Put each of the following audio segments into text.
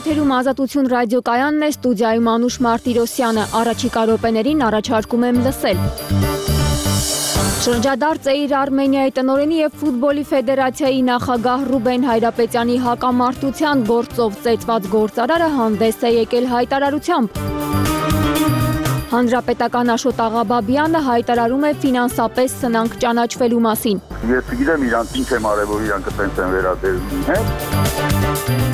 Եթերում Ազատություն ռադիոկայանն է, ստուդիայում Անուշ Մարտիրոսյանը, առաջիկա րոպեներին առաջարկում եմ լսել։ Շրջադարձ Էիր Արմենիայի տնօրենի և ֆուտբոլի ֆեդերացիայի նախագահ Ռուբեն Հայրապետյանի հակամարտության գործով ծեծված գործարարը հանդես է եկել հայտարարությամբ։ Հանրապետական Աշոտ Աղաբաբյանը հայտարարում է ֆինանսապես սնանկ ճանաչվելու մասին։ Ես գիտեմ իրանք ինչ եմ արել, որ իրանք տենց են վերաբերվում, հե՞։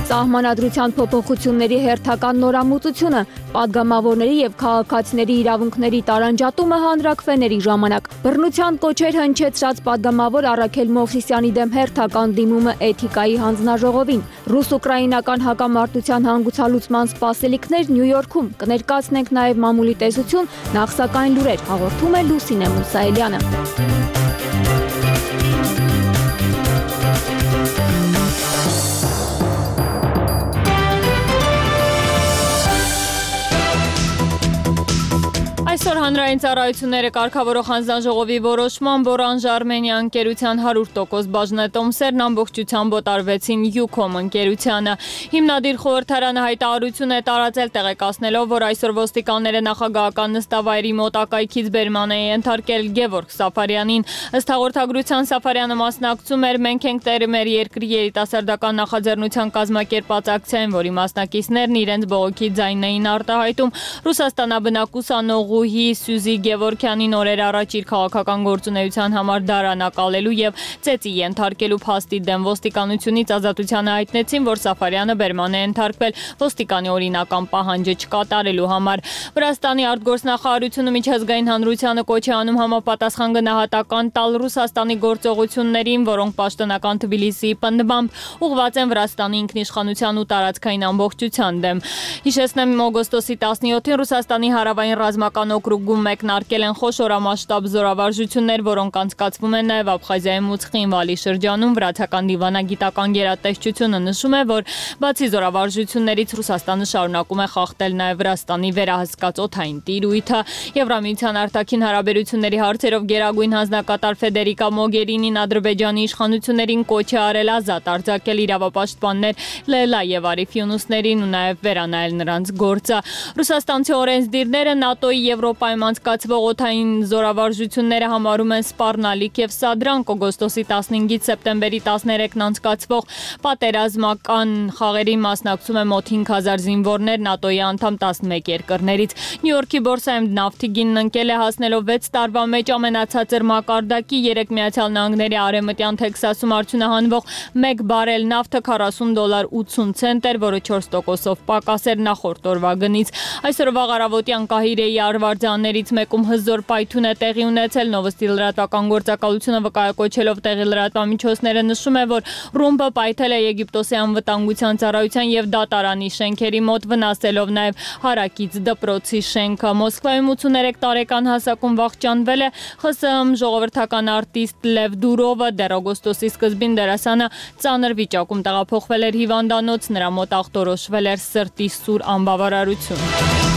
Սահմանադրության փոփոխությունների հերթական նորամուծությունը, պատգամավորների և քաղաքացիների իրավունքների տարանջատումը հանրաքվեների ժամանակ։ Բռնության կոչեր հնչեցրած պատգամավոր Առաքել Մովսիսյանի դեմ հերթական դիմումը էթիկայի հանձնաժողովին։ Ռուս-ուկրաինական հակամարտության հանգուցալուծման սպասելիքներ Նյու Յորքում։ Կներկայացնենք նաև մամուլի տեսություն, նախ սակայն լուրեր, հաղորդում է Լուսինե Մուսայելյանը։ Այսօր հանրային ծառայությունները կարգավորող հանձնաժողովի որոշմամբ Orange Armenia ընկերության 100% բաժնետոմսերն ամբողջությամբ օտարվեցին Ucom ընկերությանը։ Հիմնադիր խորհրդարանը հայտարարություն է տարածել տեղեկացնելով, որ այսօր ոստիկանները նախագահական նստավայրի մոտակայքից բերման է ենթարկել Գևորգ Սաֆարյանին։ Ըստ հաղորդագրության Սաֆարյանը մասնակցում էր «Մենք ենք տերը մեր երկրի» երիտասարդական նախաձեռնության կազմակերպած ակցիային, որի մասնակիցներն իրենց բողոքի ձայնն էին արտահայտում։ Ռուսաստանաբնակ ուսանող Սյուզի Գևորգյանին օրեր առաջ իր քաղաքական գործունեության համար դարանակալելու և ծեծի ենթարկելու փաստի դեմ ոստիկանությունից ազատությանը հայտնեցին, որ Սաֆարյանը բերման է ենթարկվել ոստիկանի օրինական պահանջը չկատարելու համար։ Վրաստանի արտգործնախարարությունը միջազգային հանրությանը կոչ է անում համապատասխան գնահատական տալ Ռուսաստանի գործողություններին, որոնք պաշտոնական Թբիլիսիի պնդմամբ ուղղված են Վրաստանի ինքնիշխանության ու տարածքային ամբողջության դեմ։ Հիշեցնեմ, օգոստոսի 17-ին Ռուսաստանի հարավային ռազմական օկրուգում մեկնարկել են խոշորամասշտաբ զորավարժություններ, որոնք անցկացվում են նաև Աբխազիայում ու Ცხինվալի շրջանում։ Վրացական դիվանագիտական գերատեսչությունը նշում է, որ բացի զորավարժություններից Ռուսաստանը շարունակում է խախտել նաև Վրաստանի վերահսկած օդային տիրույթը։ Եվրամիության արտաքին հարաբերությունների հարցերով գերագույն հանձնակատար Ֆեդերիկա Մոգերինին Ադրբեջանի իշխանություններին կոչ է արել ազատ արձակել իրավապաշտպաններ Լեյլա և Արիֆ Յունուսներին ու նաև վերանայել նրանց գործը։ Ռուսաստանցի օրենսդիրները ՆԱՏՕ-ի Եվրոպայում անցկացվող օդային զորավարժությունները համարում են սպառնալիք և սադրանք։ Օգոստոսի 15-ից սեպտեմբերի 13-ն անցկացվող պատերազմական խաղերին մասնակցում է մոտ 5000 զինվորներ ՆԱՏՕ-ի անդամ 11 երկրներից։ Նյու Յորքի բորսայում նավթի գինն ընկել է հասնելով 6 տարվա մեջ ամենացածր մակարդակի։ 3 Միացյալ Նահանգների արևմտյան Թեքսասում արդյունահանվող 1 բարել նավթը $40.80 էր, որը 4%-ով պակաս էր նախորդ օրվա գնից։ Այսօր վաղ առավոտյան Կահիրեի արվարձաններից մեկում հզոր պայթուն է տեղի ունեցել։ Նովոստի լրատվական գործակալությունը վկայակոչելով տեղի լրատվամիջոցները նշում է, որ ռումբը պայթել է Եգիպտոսի անվտանգության ծառայության և դատարանի շենքերի մոտ, վնասելով նաև հարակից դպրոցի շենքը։ Մոսկվայում 83 տարեկան հասակում վախճանվել է ԽՍՀՄ ժողովրդական արտիստ Լև Դուրովը։ Դեռ օգոստոսի սկզբին դերասանը ծանր վիճակում տեղափոխվել էր հիվանդանոց, նրա մոտ ախտորոշվել էր սրտի սուր անբավարարություն։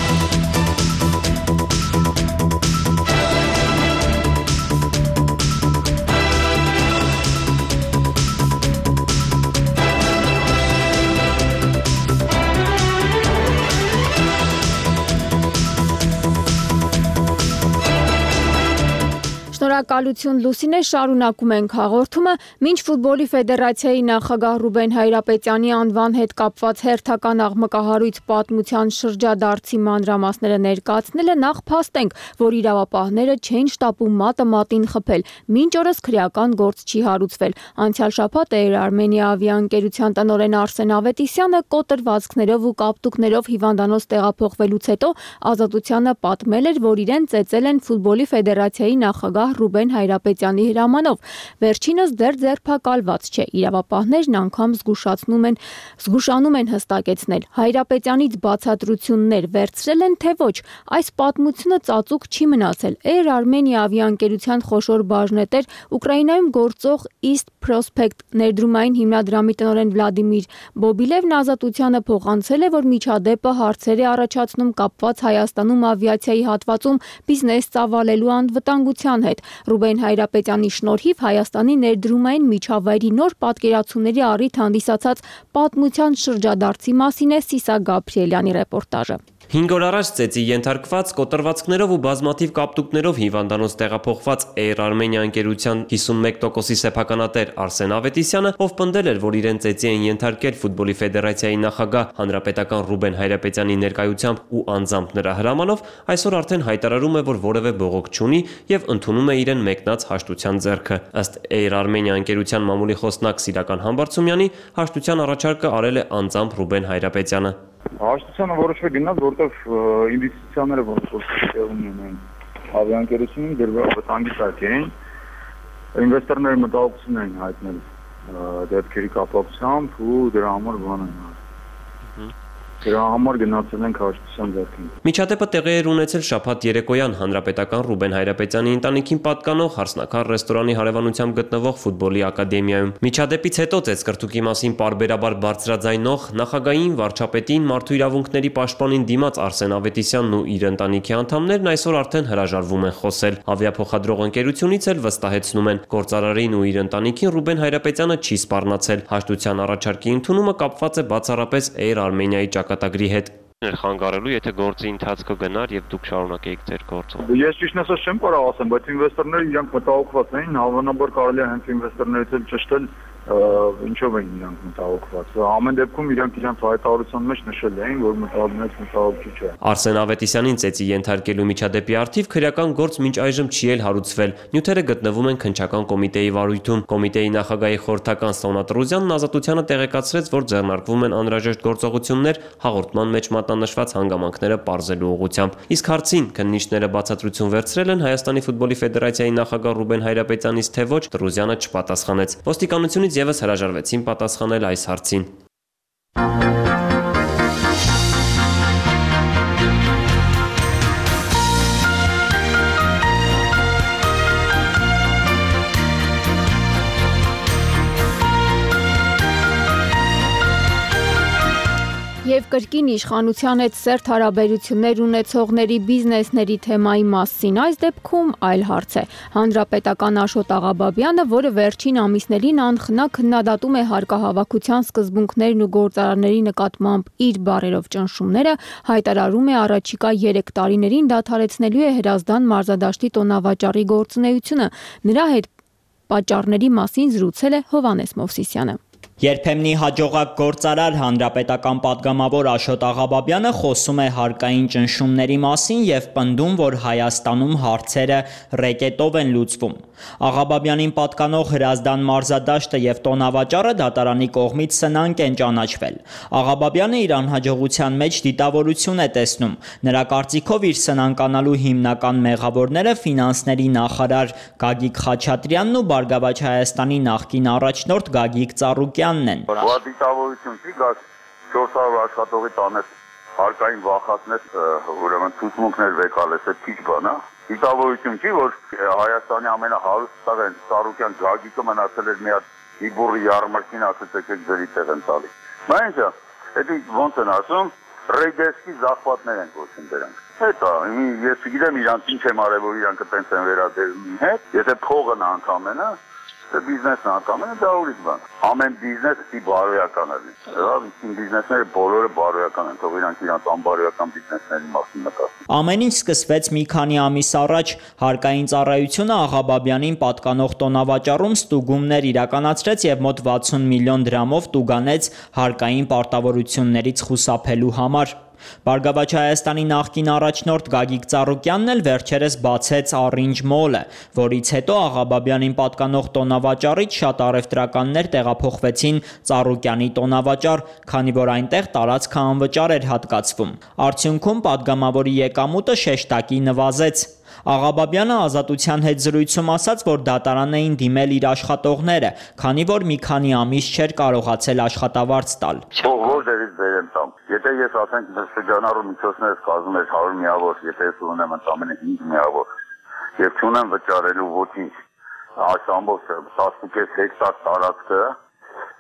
Շնորհակալություն Լուսինե, շարունակում ենք հաղորդումը։ Մինչ ֆուտբոլի ֆեդերացիայի նախագահ Ռուբեն Հայրապետյանի անվան հետ կապված հերթական աղմկահարույց պատմության շրջադարձի մանրամասները ներկայացնելը, նախ փաստենք, որ իրավապահները չեն շտապում մատը մատին խփել, մինչ օրս քրեական գործ չի հարուցվել։ Անցյալ շաբաթ Էիր Արմենիա ավիաընկերության տնօրեն Արսեն Ավետիսյանը կոտրվածքներով ու կապտուկներով հիվանդանոց տեղափոխվելուց հետո Ազատությանը պատմել էր, որ իրեն ծեծել են ֆուտբոլի ֆեդերացիայի նախագահ Ռուբեն Հայրապետյանի հրամանով։ Վերջինս դեռ ձերբակալված չէ։ Իրավապահներն անգամ զգուշանում են հստակեցնել։ Հայրապետյանից բացատրություններ վերցրել են, թե ոչ։ Այս պատմությունը ծածուկ չի մնացել։ Էիր Արմենիա ավիաընկերության խոշոր բաժնետեր Ուկրաինայում գործող East Prospect ներդրումային հիմնադրամի տնօրեն Վլադիմիր Բոբիլևն Ազատությանը փոխանցել է, որ միջադեպը հարցեր է առաջացնում կապված Հայաստանում ավիացիայի հատվածում բիզնես ծավալելու անվտանգության հետ։ Ռուբեն Հայրապետյանի շնորհիվ Հայաստանի ներդրումային միջավայրի նոր պատկերացումների առիթ հանդիսացած պատմության շրջադարձի մասին է Սիսա Գաբրիելյանի ռեպորտաժը։ 5 օր առաջ ծեծի ենթարկված կոտրվածքներով ու բազմաթիվ կապտուկներով հիվանդանոց տեղափոխված Air Armenia ընկերության 51%-ի սեփականատեր Արսեն Ավետիսյանը, ով պնդել էր, որ իրեն ծեծի են ենթարկել ֆուտբոլի ֆեդերացիայի նախագահ հանրապետական Ռուբեն Հայրապետյանի ներկայությամբ ու անձամբ նրա հրամանով, այսօր արդեն հայտարարում է, որ որևէ բողոք չունի եւ ընդունում է իրեն մեկնած հաշտության ձեռքը։ Ըստ Air Armenia ընկերության մամուլի խոսնակ Սիրական Համբարձումյանի, հաշտության առաջարկը արել է անձամբ Ռուբեն Հայրապետյանը։ Հաշտությանը որոշվել գնաց, որտեղ ինվեստիցիաները որոշվում են ավիաընկերությունում դրվել վտանգի տակ էին, ինվեստորները մտահոգություն էին հայտնել դեպքերի կապակցությամբ ու դրա համար բան են արել։ Դրա համար գնացել ենք հաշտության ձեռքին։ Միջադեպը տեղի էր ունեցել շաբաթ երեկոյան հանրապետական Ռուբեն Հայրապետյանի ընտանիքին պատկանող Հարսնաքար ռեստորանի հարևանությամբ գտնվող ֆուտբոլի ակադեմիայում։ Միջադեպից հետո ծեծկրտուկի մասին պարբերաբար բարձրաձայնող նախագահային, վարչապետին, մարդու իրավունքների պաշտպանին դիմաց Արսեն Ավետիսյանն ու իր ընտանիքի անդամներն այսօր արդեն հրաժարվում են խոսել։ Ավիափոխադրող ընկերությունից էլ վստահեցնում են, գործարարին ու իր ընտանիքին Ռուբեն Հայրապետյանը չի սպառնացել։ Հաշտության առաջարկի ընդունումը կապված է բացառապես Air Armenia-ի ճակատագրի հետ։ Խանգարելու, եթե գործի ընթացքը գնար եւ դուք շարունակեիք ձեր գործը։ Ես ճիշտն ասած չեմ կարող ասեմ, բայց ինվեստորները իրանք մտահոգված էին, հավանաբար կարելի է հենց ինվեստորներից էլ ճշտել ինչով են իրանք մտահոգված։ Ամեն դեպքում իրանք հայտարարության մեջ նշել էին, որ մտահոգիչ չէ։ Արսեն Ավետիսյանին ծեծի ենթարկելու միջադեպի առթիվ քրեական գործ մինչ այժմ չի էլ հարուցվել։ Նյութերը գտնվում են քննչական կոմիտեի վարույթում։ Կոմիտեի նախագահի խորհրդական Սոնա Տրուզյանն Ազատությանը տեղեկացրեց, որ ձեռնարկվում են անհրաժեշտ գործողություններ հաղորդման մեջ մատնանշված հանգամանքները պարզելու ուղղությամբ։ Իսկ հարցին քննիչները բացատրություն վերցրել են Հայաստանի ֆուտբոլի ֆեդերացիայի նախագահ Ռուբեն Հայրապետյանից, թե ոչ, Տրուզյանը չպատասխանեց։ Ոստիկանությունից եւս հրաժարվեցին պատասխանել այս հարցին։ Եվ կրկին իշխանության հետ սերտ հարաբերություններ ունեցողների բիզնեսների թեմայի մասին այս դեպքում այլ հարց է։ Հանրապետական Աշոտ Աղաբաբյանը, որը վերջին ամիսներին անխնա քննադատում է հարկահավաքության սկզբունքներն ու գործարանների նկատմամբ իր բառերով ճնշումները, հայտարարում է առաջիկա 3 տարիներին դադարեցնելու է Հրազդան մարզադաշտի տոնավաճառի գործունեությունը։ Նրա հետ պատճառների մասին զրուցել է Հովհաննես Մովսիսյանը։ Երբեմնի հաջողակ գործարար հանրապետական պատգամավոր Աշոտ Աղաբաբյանը խոսում է հարկային ճնշումների մասին եւ պնդում, որ Հայաստանում հարցերը ռեկետով են լուծվում։ Աղաբաբյանին պատկանող Հրազդան մարզադաշտը եւ տոնավաճառը դատարանի կողմից սնանկ են ճանաչվել։ Աղաբաբյանը իր անհաջողության մեջ դիտավորություն է տեսնում։ Նրա կարծիքով իր սնանկանալու հիմնական մեղավորները ֆինանսների նախարար Գագիկ Խաչատրյանն ու Բարգավաճ Հայաստանի նախկին առաջնորդ Գագիկ Ծառուկյանն են։ Դիտավորություն չի գա 400 աշխատողի տանես հարկային վախացնես, ուրեմն ցուցմունքներ վեկալես, է քիչ բան, հա։ Դիտավորություն չի, որ Հայաստանի ամենահարուստ տղեն Ծառուկյան Գագիկը մնացել էր մի հատ իբուրի ярմարքին ասած եկեք ձերի տեղ են տալի։ Բա ինչա, դա ոնց են ասում, ռեյդերսկի զախվածներ են կոչում դրանք։ Հետո ես չգիտեմ իրանք ինչ եմ արել, որ իրանք այդպես են վերադերում հետ, եթե փողն անգամենա բիզնեսն անգամենա դա ուրիշ բան։ Ամեն բիզնես ի բարոյական է։ Բիզնեսները բոլորը բարոյական են, թող իրանք իրանք անբարոյական բիզնեսների մասին մտածեն։ Ամեն ինչ սկսվեց մի քանի ամիս առաջ։ Հարկային ծառայությունը Աղաբաբյանին պատկանող տոնավաճառում ստուգումներ իրականացրեց եւ մոտ 60 միլիոն դրամով տուգանեց հարկային պարտավորություններից խուսափելու համար։ Բարգավաճ Հայաստանի նախկին առաջնորդ Գագիկ Ծառուկյանն էլ վերջերս բացեց Orange Mall-ը, որից հետո Աղաբաբյանին պատկանող տոնավաճառից շատ առևտրականներ տեղափոխվեցին Ծառուկյանի տոնավաճառ, քանի որ այնտեղ տարածքը անվճար էր հատկացվում։ Արդյունքում պատգամավորի եկամուտը շեշտակի նվազեց։ Աղաբաբյանը Ազատության հետ զրույցում ասաց, որ դատարան էին դիմել իր աշխատողները, քանի որ մի քանի ամիս չէր կարողացել աշխատավարձ տալ։ Եթե ես ասենք շրջանառու միջոցներս կազմում էր 100 միավոր, եթե ես ունեմ ընդամենը 5 միավոր եւ չունեմ վճարելու ոչինչ, այս ամբողջ 15 հեկտար տարածքը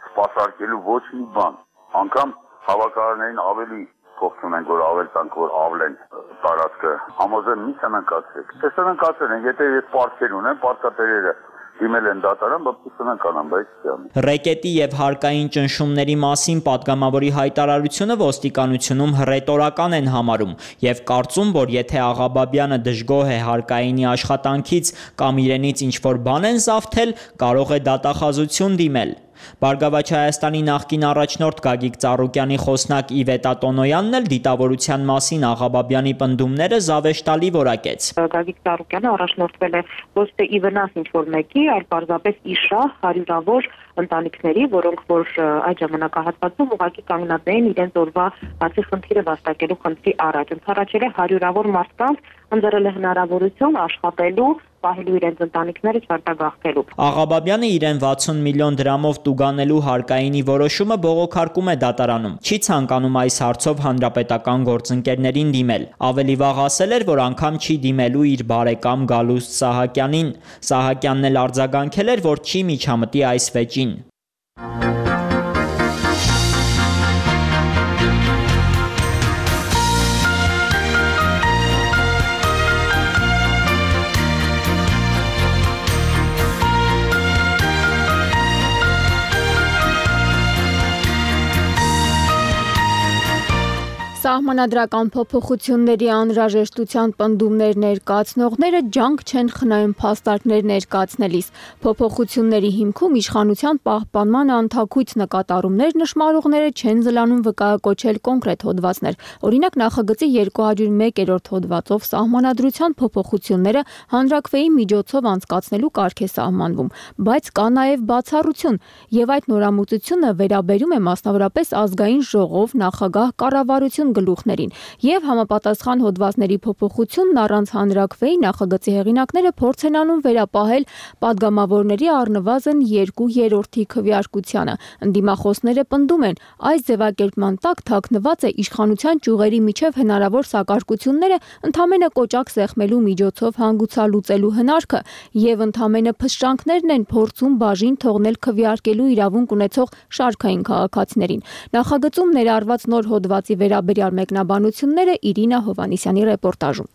սպասարկելու ոչ մի բան, անգամ հավաքարարներին ավելի փող ունենք, որ ավել տանք, որ ավլեն տարածքը, համոզեն մի սնանկացեք։ Թե սնանկացել են, եթե ես պարտքեր ունեմ, պարտքատերերը դիմել են դատարան, բայց Ռեկետի եւ հարկային ճնշումների մասին падգամավորի հայտարարությունը ոստիկանությունում հռետորական են համարում եւ կարծում, որ եթե Աղաբաբյանը դժգոհ է հարկայինի աշխատանքից կամ իրենից ինչ-որ բան են զավթել, կարող է դատախազություն դիմել։ Բարգավաճ Հայաստանի նախկին առաջնորդ Գագիկ Ծառուկյանի խոսնակ Իվետա Տոնոյանն էլ դիտավորության մասին Աղաբաբյանի պնդումները զավեշտալի որակեց։ Գագիկ Ծառուկյանը առաջնորդվել է ոչ թե ի վնաս ինչ-որ մեկի, այլ պարզապես իշահ հարյուրավոր ընտանիքների, որոնք որ այդ ժամանակահատվածում ուղղակի կանգնած էին իրենց օրվա բացի խնդիրը վաստակելու խնդրի առաջ։ Ընդառաջել է հարյուրավոր մարդկանց, ընձեռել է հնարավորություն աշխատելու, պահելու իրենց ընտանիքները չարտագաղթելու։ Աղաբաբյանը իրեն 60 միլիոն դրամով տուգանելու հարկայինի որոշումը բողոքարկում է դատարանում։ Չի ցանկանում այս հարցով հանրապետական գործընկերներին դիմել։ Ավելի վաղ ասել էր, որ անգամ չի դիմելու իր բարեկամ Գալուստ Սահակյանին։ Սահակյանն էլ արձագանքել էր, որ չի միջամտի այս վեճին։ Սահմանադրական փոփոխությունների անհրաժեշտության պնդումներ ներկայացնողները ջանք չեն խնայում փաստարկներ ներկայացնելիս։ Փոփոխությունների հիմքում իշխանության պահպանման անթաքույց նկատառումներ նշմարողները չեն զլանում վկայակոչել կոնկրետ հոդվածներ։ Օրինակ նախագծի 201-րդ հոդվածով սահմանադրության փոփոխությունները հանրաքվեի միջոցով անցկացնելու կարգ է սահմանվում, բայց կա նաև բացառություն, եւ այդ նորամուծությունը վերաբերում է մասնավորապես ազգային ժողով, նախագահ, կառավարություն գլուխներին եւ համապատասխան հոդվածների փոփոխությունն առանց հանրաքվեի նախագծի հեղինակները փորձ են անում վերապահել падգամավորների առնվազն 2/3 քվեարկությանը։ Ընդդիմախոսները պնդում են, այս ձևակերպման տակ թաքնված է իշխանության ճյուղերի միջև հնարավոր սակարկությունները ընդամենը կոճակ սեղմելու միջոցով հանգուցալուծելու հնարքը եւ ընդամենը փշրանքներն են փորձում բաժին թողնել քվեարկելու իրավունք ունեցող շարքային քաղաքացիներին։ Նախագծում ներառված նոր հոդվածի վերաբերյալ մեկնաբանությունները Իրինա Հովանիսյանի ռեպորտաժում։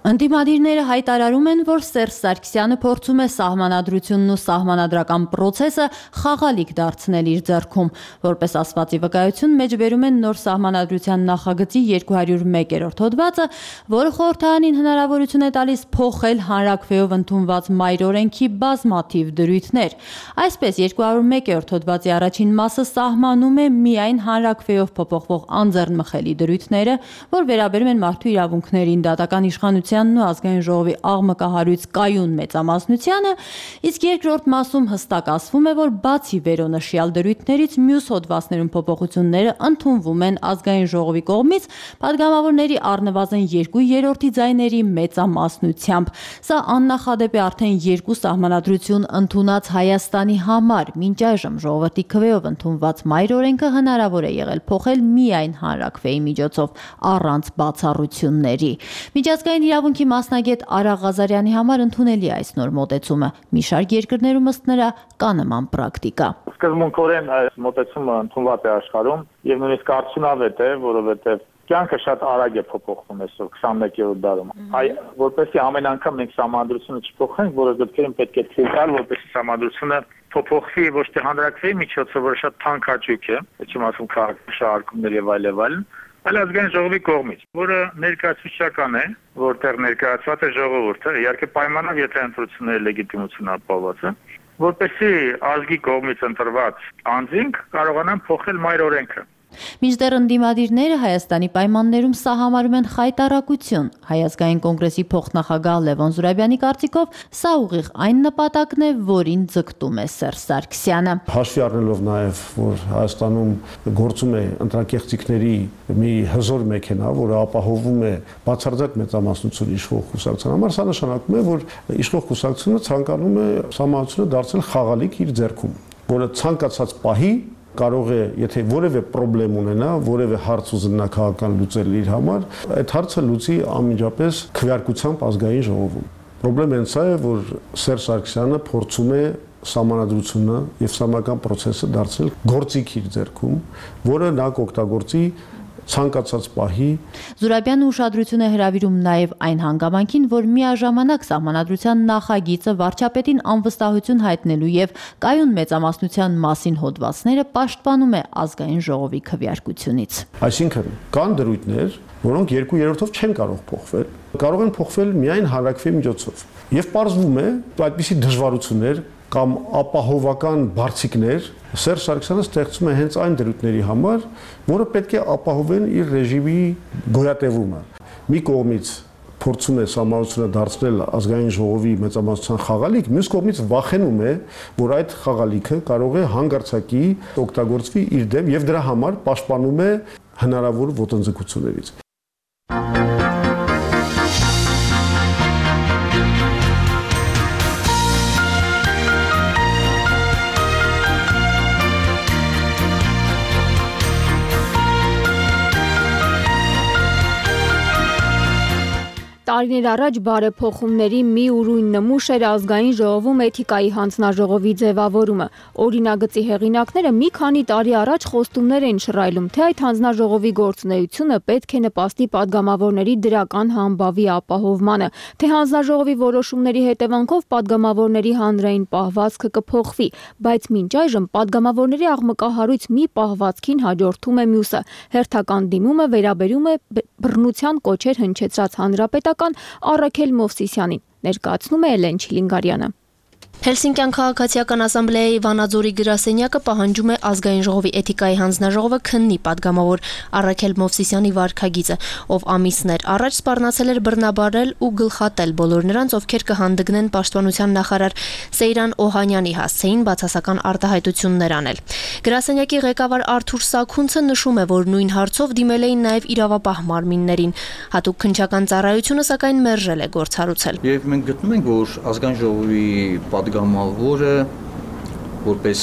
Ընդդիմադիրները հայտարարում են, որ Սերժ Սարգսյանը փորձում է սահմանադրությունն ու սահմանադրական պրոցեսը խաղալիք դարձնել իր ձեռքում։ Որպես ասվածի վկայություն մեջբերում են նոր սահմանադրության նախագծի 201-րդ հոդվածը, որը խորհրդարանին հնարավորություն է տալիս փոխել հանրաքվեով ընդունված մայր օրենքի բազմաթիվ դրույթներ։ Այսպես 201-րդ հոդվածի առաջին մասը սահմանում է միայն հանրաքվեով փոփոխվող անձեռնմխելի դրույթները, որ վերաբերում են մարդու իրավունքներին, դատական իշխանության ու ազգային ժողովի աղմկահարույց կայուն մեծամասնությանը, իսկ երկրորդ մասում հստակ ասվում է, որ բացի վերոնշյալ դրույթներից մյուս հոդվածներում փոփոխությունները ընդունվում են ազգային ժողովի կողմից падգամավորների առնվազն 2/3 ձայների մեծամասնությամբ։ Սա աննախադեպ է արդեն երկու սահմանադրություն ընդունած Հայաստանի համար։ Մինչ այժմ ժողովրդի քվեով ընդունված մայր օրենքը հնարավոր է եղել փոխել միայն հանրաքվեի միջոցով առանց բացառությունների։ Միջազգային իրավունքի մասնագետ Արա Ղազարյանի համար ընդունելի է այս նոր մոտեցումը։ Մի շարք երկրներում ըստ նրա կա նման պրակտիկա։ Սկզբունքորեն այս մոտեցումը ընդունված է աշխարհում եւ նույնիսկ արդյունավետ է, որովհետեւ կյանքը շատ արագ է փոփոխվում այսօր 21-րդ դարում։ Որպեսզի ամեն անգամ մենք սահմանադրությունը չփոխենք, որը դեպքերում պետք է թույլ տալ, որպեսզի սահմանադրությունը փոփոխվի ոչ թե հանրաքվեի միջոցով, որը շատ թանկ հաճույք է, չեմ ասում քաղաքաշարժումներ եւ այլն, այլ ազգային ժողովի կողմից, որը ներկայացուցչական է, որտեղ ներկայացված է ժողովուրդը, իհարկե պայմանով, եթե ընտրությունների լեգիտիմությունը ապահովված է, որպեսզի ազգի կողմից ընտրված անձինք կարողանան փոխել մայր օրենքը։ Մինչդեռ ընդդիմադիրները Հայաստանի պայմաններում սա համարում են խայտառակություն։ Հայ ազգային կոնգրեսի փոխնախագահ Լևոն Զուրաբյանի կարծիքով սա ուղիղ այն նպատակն է, որին ձգտում է Սերժ Սարգսյանը։ Հաշվի առնելով նաև, որ Հայաստանում գործում է ընտրակեղծիքների մի հզոր մեքենա, որը ապահովում է բացարձակ մեծամասնություն իշխող կուսակցության համար, սա նշանակում է, որ իշխող կուսակցությունը ցանկանում է սահմանությունը դարձնել խաղալիք իր ձեռքում, որը ցանկացած պահի կարող է, եթե որևէ խնդրեմ ունենա, որևէ հարց ուզենա քաղաքական լուծել իր համար, այդ հարցը լուծի անմիջապես քվեարկությամբ ազգային ժողովում։ Խնդրեմը հենց է, որ Սերժ Սարգսյանը փորձում է սահմանադրությունը եւ սահմանական process-ը դարձնել գործիք իր ձեռքում, որը նա կօգտագործի ցանկացած պահի։ Զուրաբյանը ուշադրություն է հրավիրում նաև այն հանգամանքին, որ միաժամանակ սահմանադրության նախագիծը վարչապետին անվստահություն հայտնելու եւ կայուն մեծամասնության մասին հոդվածները պաշտպանում է ազգային ժողովի քվեարկությունից։ Այսինքն կան դրույթներ, որոնք 2/3-ով չեն կարող փոխվել, կարող են փոխվել միայն հանրակրվեի միջոցով։ Եվ պարզվում է, այդպիսի դժվարություններ կամ ապահովական բարձիկներ Սերժ Սարգսյանը ստեղծում է հենց այն դրույթների համար, որը պետք է ապահովեն իր ռեժիմի գոյատևումը։ Մի կողմից փորձում է սահմանությունը դարձնել ազգային ժողովի մեծամասնության խաղալիք, մյուս կողմից վախենում է, որ այդ խաղալիքը կարող է հանգարցակի օգտագործվի իր դեմ եւ դրա համար պաշտպանում է հնարավոր ոտնձգություններից։ Տարիներ առաջ բարեփոխումների մի ուրույն նմուշ էր ազգային ժողովում էթիկայի հանձնաժողովի ձևավորումը։ Օրինագծի հեղինակները մի քանի տարի առաջ խոստումներ էին շռայլում, թե այդ հանձնաժողովի գործունեությունը պետք է նպաստի падգամավորների դրական համբավի ապահովմանը, թե հանձնաժողովի որոշումների հետևանքով падգամավորների հանրային պահվածքը կփոխվի, բայց մինչ այժմ падգամավորների աղմկահարույց մի պահվածքին հաջորդում է մյուսը։ Հերթական դիմումը վերաբերում է բռնության կոչեր հնչեցրած հանրապետական Առաքել Մովսիսյանին, ներկայացնում է Էլեն Չիլինգարյանը։ Հելսինկյան քաղաքացիական ասամբլեայի Վանաձորի գրասենյակը պահանջում է ազգային ժողովի էթիկայի հանձնաժողովը քննի падգամավոր Առաքել Մովսիսյանի վարքագիծը, ով ամիսներ առաջ սպառնացել էր բռնաբարել ու գլխատել բոլոր նրանց, ովքեր կհանդգնեն պաշտպանության նախարար Սեյրան Օհանյանի հասցեին բացասական արտահայտություններ անել։ Գրասենյակի ղեկավար Արթուր Սաքունցը նշում է, որ նույն հարցով դիմել էին նաև իրավապահ մարմիններին։ Հատուկ քննչական ծառայությունը սակայն մերժել է գործառույցել։ Եվ մենք գտնում ենք, որ ազգային ժողովի падգամավորը որպես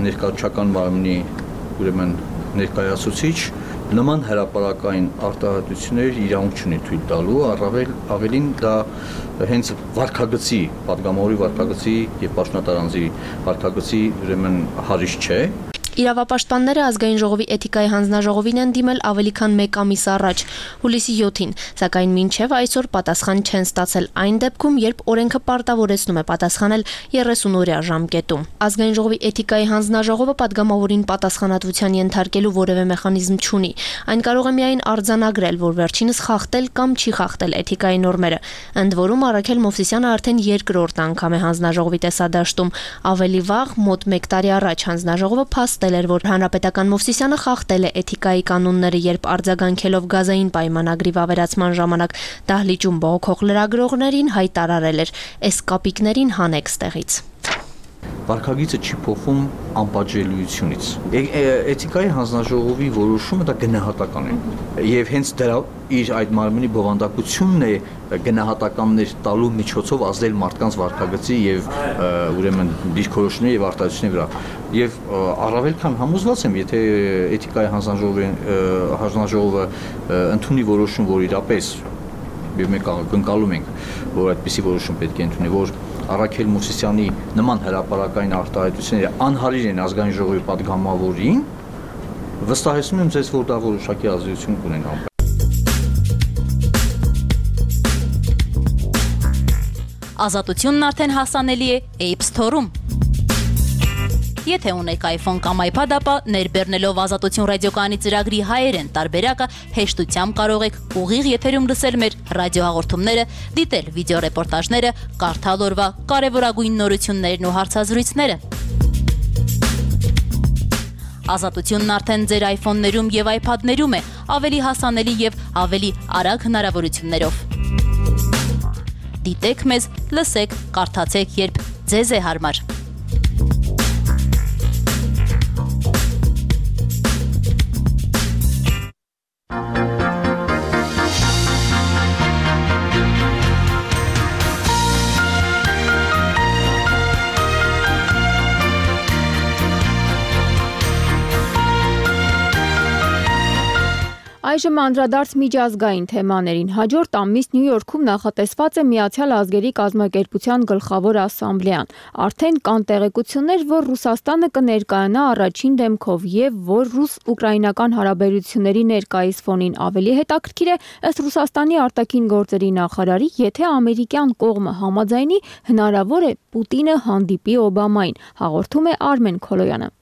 ներկայացական մարմնի ուրեմն ներկայացուցիչ նման հրապարակային արտահայտություններ իրավունք չունի թույլ տալու, ավելին դա հենց վարքագծի, падգամավորի վարքագծի եւ պաշտոնատարանձի վարքագծի ուրեմն հարիշ չէ։ Իրավապաշտպանները ազգային ժողովի էթիկայի հանձնաժողովին են դիմել ավելի քան 1 ամիս առաջ, հուլիսի 7-ին, սակայն մինչև այսօր պատասխան չեն ստացել այն դեպքում, երբ օրենքը պարտավորեցնում է պատասխանել 30-օրյա ժամկետում։ Ազգային ժողովի էթիկայի հանձնաժողովը падգամավորին պատասխանատվության ենթարկելու որևէ մեխանիզմ չունի։ Այն կարող է միայն արձանագրել, որ վերջինս խախտել կամ չի խախտել էթիկայի նորմերը։ Ընդ որում Առաքել Մովսիսյանը արդեն երկրորդ անգամ է հանձնաժողովի տեսադաշտում։ Ավելի վաղ, մոտ 1 տարի առաջ հանձնաժողովը փաստել էր, որ հանրապետական Մովսիսյանը խախտել է էթիկայի կանոնները, երբ արձագանքելով գազային պայմանագրի վավերացման ժամանակ դահլիճում բողոքող լրագրողներին հայտարարել էր. «Էս կապիկներին հանեք ստեղից»։ Վարքագիծը չի փոխվում անպատժելիությունից։ Էթիկայի հանձնաժողովի որոշումը դա գնահատական է։ Եվ հենց դրա իր այդ մարմնի բովանդակությունն է գնահատականներ տալու միջոցով ազդել մարդկանց վարքագծի եւ ուրեմն դիրքորոշումների եւ արտահայտությունների վրա։ Եվ առավել քան համոզված եմ, եթե էթիկայի հանձնաժողովը ընդունի որոշում, որ իրապես եւ մենք կընկալում ենք, որ այդպիսի որոշում պետք է ընդունի, որ Առաքել Մովսիսյանի նման հրապարակային արտահայտությունները անհարիր են ազգային ժողովի падգամավորին, վստահեցնում եմ ձեզ, որ դա որոշակի ազդեցություն կունենա։ Ազատությունն արդեն հասանելի է App Store-ում։ Եթե ունեք iPhone կամ iPad, ապա ներբեռնելով Ազատություն ռադիոկայանի ծրագրի հայերեն տարբերակը հեշտությամբ կարող եք ուղիղ եթերում լսել մեր ռադիոհաղորդումները, դիտել վիդեոռեպորտաժները, կարդալ օրվա կարևորագույն նորություններն ու հարցազրույցները։ Ազատությունն արդեն ձեր iPhone-ներում եւ iPad-ներում է, ավելի հասանելի եւ ավելի արագ հնարավորություններով։ Դիտեք մեզ, լսեք, կարդացեք, երբ ձեզ է հարմար։ Այժմ անդրադարձ միջազգային թեմաներին։ Հաջորդ ամիս Նյու Յորքում նախատեսված է Միացյալ Ազգերի կազմակերպության գլխավոր ասամբլեան։ Արդեն կան տեղեկություններ, որ Ռուսաստանը կներկայանա առաջին դեմքով եւ որ ռուս-ուկրաինական հարաբերությունների ներկայիս ֆոնին ավելի հետաքրքիր է, ըստ Ռուսաստանի արտաքին գործերի նախարարի, եթե ամերիկյան կողմը համաձայնի, հնարավոր է Պուտինը հանդիպի Օբամային, հաղորդում է Արմեն Քոլոյանը։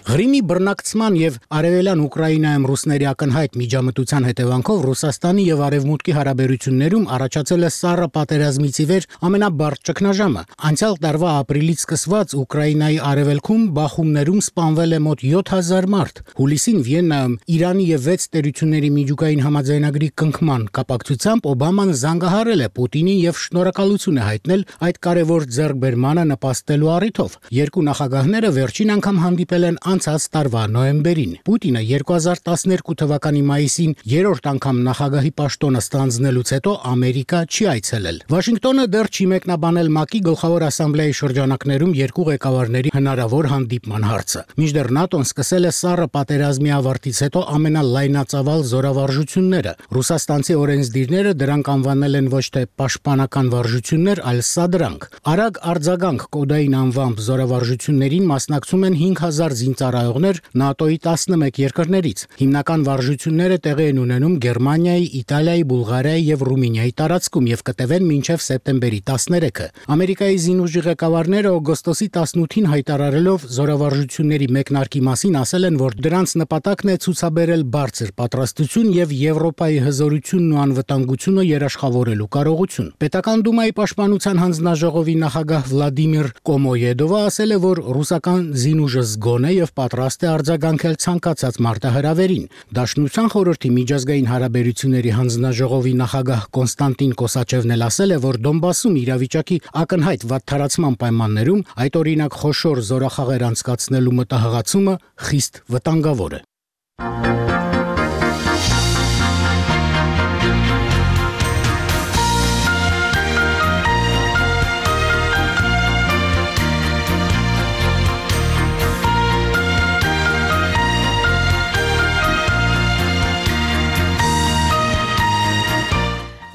Ղրիմի բռնակցման եւ արևելյան Ուկրաինայում ռուսների ակնհայտ միջամտության հետևանքով Ռուսաստանի եւ Արևմուտքի հարաբերություններում առաջացել է սառը պատերազմից ի վեր ամենաբարդ ճգնաժամը։ Անցյալ տարվա ապրիլից սկսված Ուկրաինայի արևելքում բախումներում սպանվել է մոտ 7000 մարդ։ Հուլիսին Վիեննայում Իրանի եւ 6 տերությունների միջուկային համաձայնագրի կնքման կապակցությամբ Օբաման զանգահարել է Պուտինին եւ շնորհակալություն է հայտնել այդ կարևոր ձեռքբերմանը նպաստելու առիթով։ Երկու նախագահները վերջին անգամ հանդիպել են անցած տարվա նոյեմբերին։ Պուտինը 2012 թվականի մայիսին երրորդ անգամ նախագահի պաշտոնը ստանձնելուց հետո Ամերիկա չի այցելել։ Վաշինգտոնը դեռ չի մեկնաբանել ՄԱԿ-ի գլխավոր ասամբլեայի շրջանակներում երկու ղեկավարների հնարավոր հանդիպման հարցը։ Մինչդեռ ՆԱՏՕ-ն սկսել է սառը պատերազմի ավարտից հետո ամենալայնածավալ զորավարժությունները։ Ռուսաստանցի օրենսդիրները դրանք անվանել են ոչ թե պաշտպանական վարժություններ, այլ սադրանք։ Արագ արձագանք կոդային անվամբ զորավարժություններին մասնակցում են 5000 զինծառայողներ ՆԱՏՕ-ի 11 երկրներից։ Հիմնական վարժությունները տեղի են ունենում Գերմանիայի, Իտալիայի, Բուլղարիայի եւ Ռումինիայի տարածքում եւ կտևեն մինչեւ սեպտեմբերի 13-ը։ Ամերիկայի զինուժի ղեկավարները օգոստոսի 18-ին հայտարարելով զորավարժությունների մեկնարկի մասին ասել են, որ դրանց նպատակն է ցուցաբերել բարձր պատրաստություն եւ Եվրոպայի հզորությունն ու անվտանգությունը երաշխավորելու կարողություն։ Պետական դումայի պաշտպանության հանձնաժողովի նախագահ Վլադիմիր Կոմոյեդովը ասել է, որ ռուսական զինուժը զգոն է եւ պատրաստ է արձագանքել ցանկացած մարտահրավերին։ Դաշնության խորհրդի միջազգային հարաբերությունների հանձնաժողովի նախագահ Կոնստանտին Կոսաչևն էլ ասել է, որ Դոնբասում իրավիճակի ակնհայտ վատթարացման պայմաններում այդ օրինակ խոշոր զորախաղեր անցկացնելու մտահղացումը խիստ վտանգավոր է։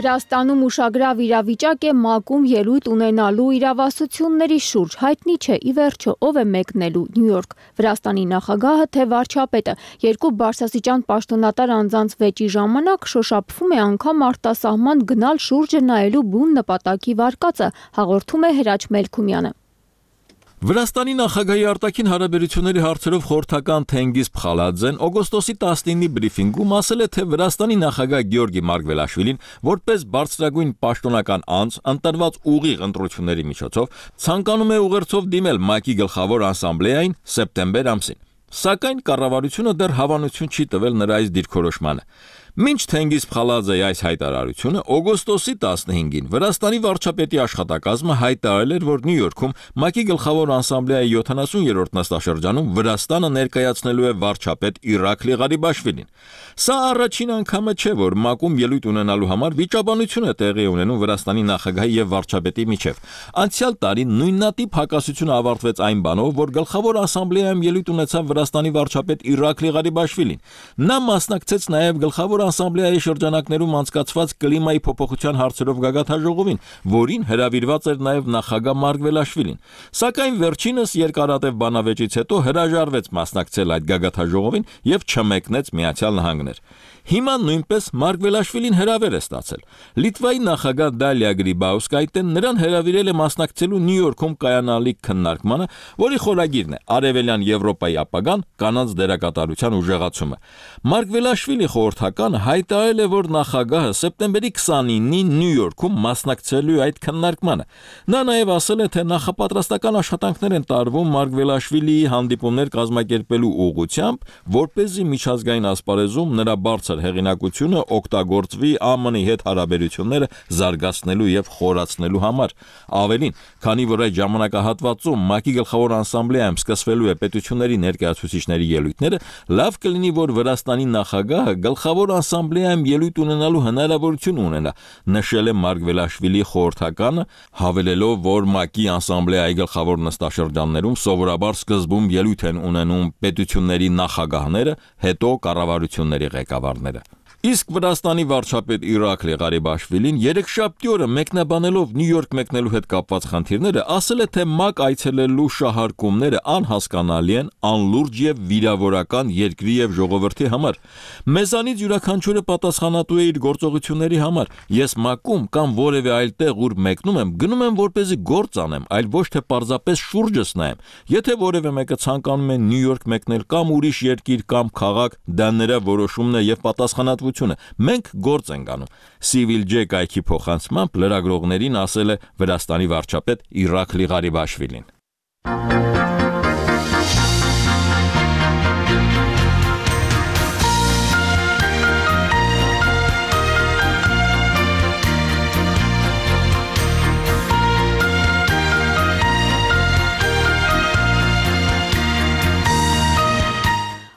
Վրաստանում ուշագրավ իրավիճակ է ՄԱԿ-ում ելույթ ունենալու իրավասությունների շուրջ։ Հայտնի չէ ի վերջո ով է մեկնելու Նյու Յորք։ Վրաստանի նախագահը թե վարչապետը։ Երկու բարձրաստիճան պաշտոնատար անձանց վեճի ժամանակ շոշափվում է անգամ արտասահման գնալ շուրջը նայելու բուն նպատակի վարկածը, հաղորդում է Հրաչ Մելքումյանը։ Վրաստանի նախագահի արտաքին հարաբերությունների հարցերով խորհրդական Թենգիզ Փխալաձեն օգոստոսի 19-ի բրիֆինգում ասել է, թե Վրաստանի նախագահ Գեորգի Մարգվելաշվիլին որպես բարձրագույն պաշտոնական անձ ընտրված ուղիղ ընտրությունների միջոցով ցանկանում է ուղերձով դիմել ՄԱԿ-ի գլխավոր ասամբլեային սեպտեմբեր ամսին։ Սակայն կառավարությունը դեռ հավանություն չի տվել նրա այս դիրքորոշմանը։ Մինչ Թենգիզ Փխալաձեի այս հայտարարությունը օգոստոսի 15-ին Վրաստանի վարչապետի աշխատակազմը հայտարարել էր, որ Նյու Յորքում ՄԱԿ-ի գլխավոր ասամբլեայի 70-րդ նստաշրջանում Վրաստանը ներկայացնելու է վարչապետ Իրաքլի Ղարիբաշվիլին։ Սա առաջին անգամը չէ, որ ՄԱԿ-ում ելույթ ունենալու համար վիճաբանություն է տեղի ունենում Վրաստանի նախագահի եւ վարչապետի միջեւ։ Անցյալ տարի նույնատիպ հակասությունը ավարտվեց այն բանով, որ գլխավոր ասամբլեայում ելույթ ունեցավ Վրաստանի վարչապետ Իրաքլի Ղարիբաշվիլին։ Նա մասնակցեց նաեւ գլխավոր ասամբլեայի շրջանակներում անցկացված կլիմայի փոփոխության հարցերով գագաթաժողովին, որին հրավիրված էր նաև նախագահ Մարգվելաշվիլին։ Սակայն վերջինս երկարատև բանավեճից հետո հրաժարվեց մասնակցել այդ գագաթաժողովին եւ չմեկնեց Միացյալ Նահանգներ։ Հիմա նույնպես Մարգվելաշվիլին հրավեր է ստացել։ Լիտվայի նախագահ Դալիա Գրիբաուսկայտեն նրան հրավիրել է մասնակցելու Նյու Յորքում կայանալիք քննարկմանը, որի խորագիրն է Արևելյան Եվրոպայի ապագան, կանանց դերակատարության ուժեղացումը։ Մարգվելաշվիլի խորհրդականը հայտարարել է, որ նախագահը սեպտեմբերի 29-ին Նյու Յորքում մասնակցելու է այդ քննարկմանը։ Նա նաև ասել է, թե նախապատրաստական աշխատանքներ են տարվում Մարգվելաշվիլիի հանդիպումներ կազմակերպելու ուղղությամբ, որպեսզի միջազգային ասպարեզում նրա բարձր հեղինակությունը օգտագործվի ԱՄՆ-ի հետ հարաբերությունները զարգացնելու եւ խորացնելու համար։ Ավելին, քանի որ այդ ժամանակահատվածում ՄԱԿ-ի գլխավոր ասամբլեայում սկսվելու է պետությունների ներկայացուցիչների ելույթները, լավ կլինի, որ Վրաստանի նախագահը գլխավոր ասամբլեայում ելույթ ունենալու հնարավորություն ունենա, նշել է Մարգվելաշվիլի խորհրդականը, հավելելով, որ ՄԱԿ-ի ասամբլեայի գլխավոր նստաշրջաններում սովորաբար սկզբում ելույթ են ունենում պետությունների նախագահները, հետո կառավարությունների ղեկավարները։ Իսկ Վրաստանի վարչապետ Իրաքլի Ղարիբաշվիլին երեքշաբթի օրը մեկնաբանելով Նյու Յորք մեկնելու հետ կապված խնդիրները, ասել է, թե ՄԱԿ այցելելու շահարկումները անհասկանալի են, անլուրջ եւ վիրավորական երկրի եւ ժողովրդի համար։ Մեզանից յուրաքանչյուրը պատասխանատու է իր գործողությունների համար։ Ես ՄԱԿ-ում կամ որևէ այլ տեղ, ուր մեկնում եմ, գնում եմ որպեսզի գործ անեմ, այլ ոչ թե պարզապես շուրջս նայեմ։ Եթե որևէ մեկը ցանկանում է Նյու Յորք մեկնել կամ ուրիշ երկիր կամ քաղաք, դա նրա որոշումն է եւ պատասխանատվությունը։ Մենք գործ ենք անում։ Civil J կայքի փոխանցմամբ լրագրողներին ասել է Վրաստանի վարչապետ Իրաքլի Ղարիբաշվիլին։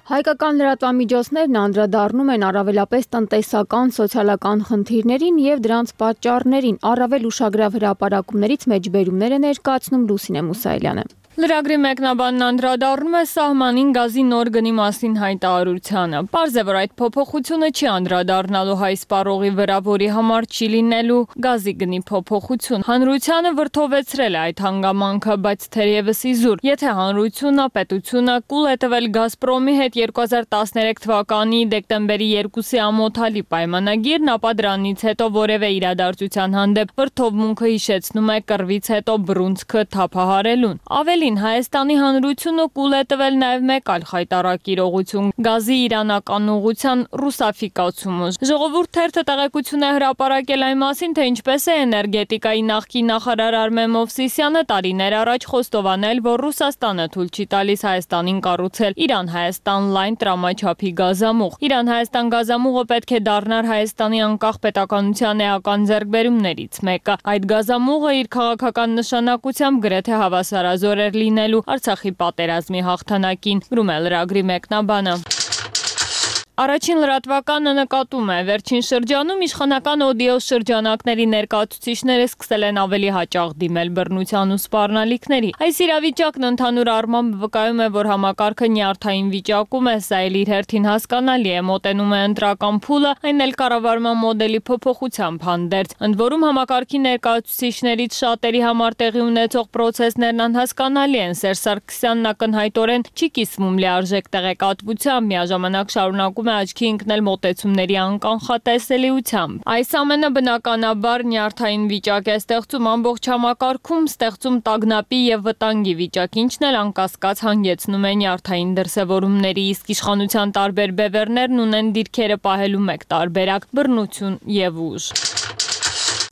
Հայկական լրատվամիջոցներն անդրադառնում են առավելապես տնտեսական, սոցիալական խնդիրներին եւ դրանց պատճառներին, առավել ուշագրավ հրապարակումներից մեջբերումներ է ներկայացնում Լուսինե Մուսայելյանը։ Լրագրի մեկնաբանն անդրադառնում է սահմանին գազի նոր գնի մասին հայտարարությանը։ Պարզ է, որ այդ փոփոխությունը չի անդրադառնալու հայ սպառողի վրա, որի համար չի լինելու գազի գնի փոփոխություն։ Հանրությանը վրդովեցրել է այդ հանգամանքը, բայց թերևս իզուր, եթե հանրությունը, պետությունը կուլ է տվել Գազպրոմի հետ 2013 թվականի դեկտեմբերի 2-ի ամոթալի պայմանագիրն, ապա դրանից հետո որևէ իրադարձության հանդեպ վրդովմունքը հիշեցնում է կռվից հետո բռունցքը թափահարելուն։ Ավելի Հայաստանի հանրությունը կուլ է տվել նաև մեկ այլ խայտառակ իրողություն՝ գազի իրանական ուղղության ռուսաֆիկացումը։ Ժողովուրդ թերթը տեղեկություն է հրապարակել այն մասին, թե ինչպես է էներգետիկայի նախկին նախարար Արմեն Մովսիսյանը տարիներ առաջ խոստովանել, որ Ռուսաստանը թույլ չի տալիս Հայաստանին կառուցել Իրան-Հայաստան լայն տրամաչափի գազամուղ։ Իրան-Հայաստան գազամուղը պետք է դառնար Հայաստանի անկախ պետականության էական ձեռքբերումներից մեկը։ Այդ գազամուղը իր քաղաքական նշանակությամբ գրեթե հավասարազոր էր լինելու Արցախի պատերազմի հաղթանակին, գրում է լրագրի մեկնաբանը։ Առաջին լրատվականը նկատում է, վերջին շրջանում իշխանական օդիո շրջանակների ներկայացուցիչները սկսել են ավելի հաճախ դիմել բռնության ու սպառնալիքների։ Այս իրավիճակն ընդհանուր առմամբ վկայում է, որ համակարգը նյարդային վիճակում է, սա էլ իր հերթին հասկանալի է, մոտենում է ընտրական փուլը, այն էլ կառավարման մոդելի փոփոխությամբ հանդերձ։ Ընդ որում համակարգի ներկայացուցիչներից շատերի համար տեղի ունեցող պրոցեսներն անհասկանալի են։ Սերժ Սարգսյանն ակնհայտորեն չի կիսվում լիարժեք տեղեկատվությամբ, միաժամանակ շարունակում աչքի ընկնել մոտեցումների անկանխատեսելիությամբ։ Այս ամենը բնականաբար նյարդային վիճակ է ստեղծում ամբողջ համակարգում, ստեղծում տագնապի եւ վտանգի վիճակ, ինչն էլ անկասկած հանգեցնում է նյարդային դրսևորումների, իսկ իշխանության տարբեր բևեռներն ունեն դիրքերը պահելու մեկ տարբերակ՝ բռնություն եւ ուժ։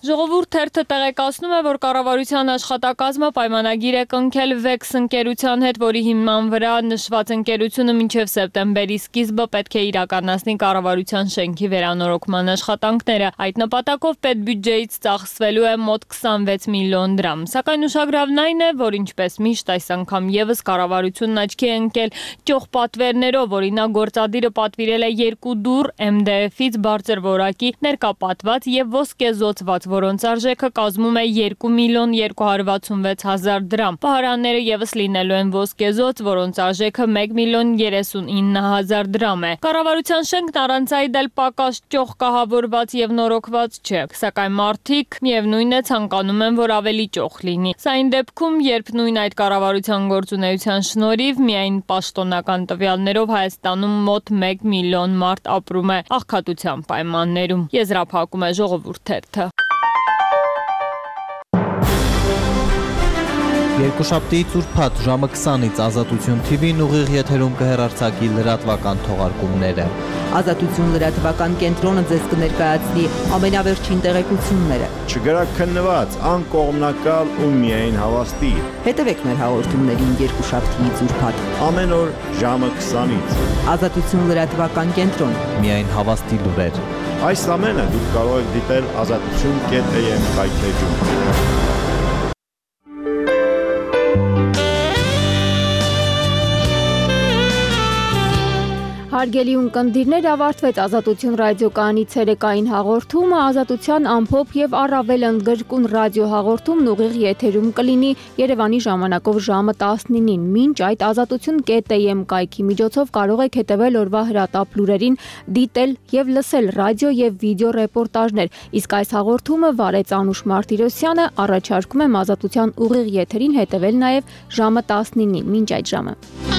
Ժողովուրդ թերթը տեղեկացնում է, որ կառավարության աշխատակազմը պայմանագիր է կնքել Vex ընկերության հետ, որի հիման վրա նշված ընկերությունը մինչև սեպտեմբերի սկիզբը պետք է իրականացնի կառավարության շենքի վերանորոգման աշխատանքները։ Այդ նպատակով պետբյուջեից ծախսվելու է մոտ 26 միլիոն դրամ։ Սակայն ուշագրավն այն է, որ ինչպես միշտ այս անգամ եւս կառավարությունն աչքի է ընկել ճոխ պատվերներով, օրինակ գործադիրը պատվիրել է 2 դուռ MDF-ից բարձր որակի ներկապատված եւ ոսկեզօծված, որոնց արժեքը կազմում է 2 միլիոն 266 հազար դրամ։ Պահարանները եւս լինելու են ոսկեզոծ, որոնց արժեքը 1 միլիոն 39 հազար դրամ է։ Կառավարության շենքն առանց այդ էլ պակաս ճոխ կահավորված եւ նորոգված չէ, սակայն մարդիկ միևնույն է ցանկանում են, որ ավելի ճոխ լինի։ Սա այն դեպքում, երբ նույն այդ կառավարության գործունեության շնորհիվ միայն պաշտոնական տվյալներով Հայաստանում մոտ 1 միլիոն մարդ ապրում է աղքատության պայմաններում։ Եզրափակում է Ժողովուրդ թերթը։ Երկուշաբթիից ուրբաթ ժամը 20-ից Ազատություն TV-ն ուղիղ եթերում կհեռարձակի լրատվական թողարկումները։ Ազատություն լրատվական կենտրոնը ձեզ կներկայացնի ամենավերջին տեղեկությունները։ Չգրաքննված, անկողմնակալ ու միայն հավաստի։ Հետևեք մեր հաղորդումներին երկուշաբթիից ուրբաթ ամեն օր ժամը 20-ից։ Ազատություն լրատվական կենտրոն։ Միայն հավաստի լուրեր։ Այս ամենը դուք կարող եք դիտել azatutun.am կայքեջում։ Հարգելի ունկնդիրներ, ավարտվեց Ազատություն ռադիոկայանի ցերեկային հաղորդումը, Ազատության ամփոփ եւ առավել ընդգրկուն ռադիոհաղորդումն ուղիղ եթերում կլինի Երևանի ժամանակով ժամը 19-ին։ Մինչ այդ azatutun.am կայքի միջոցով կարող եք հետևել օրվա հրատապ լուրերին, դիտել եւ լսել ռադիո եւ վիդեո ռեպորտաժներ։ Իսկ այս հաղորդումը վարեց Անուշ Մարտիրոսյանը, առաջարկում եմ Ազատության ուղիղ եթերին հետևել նաեւ ժամը 19-ին։ Մինչ այդ ժամը։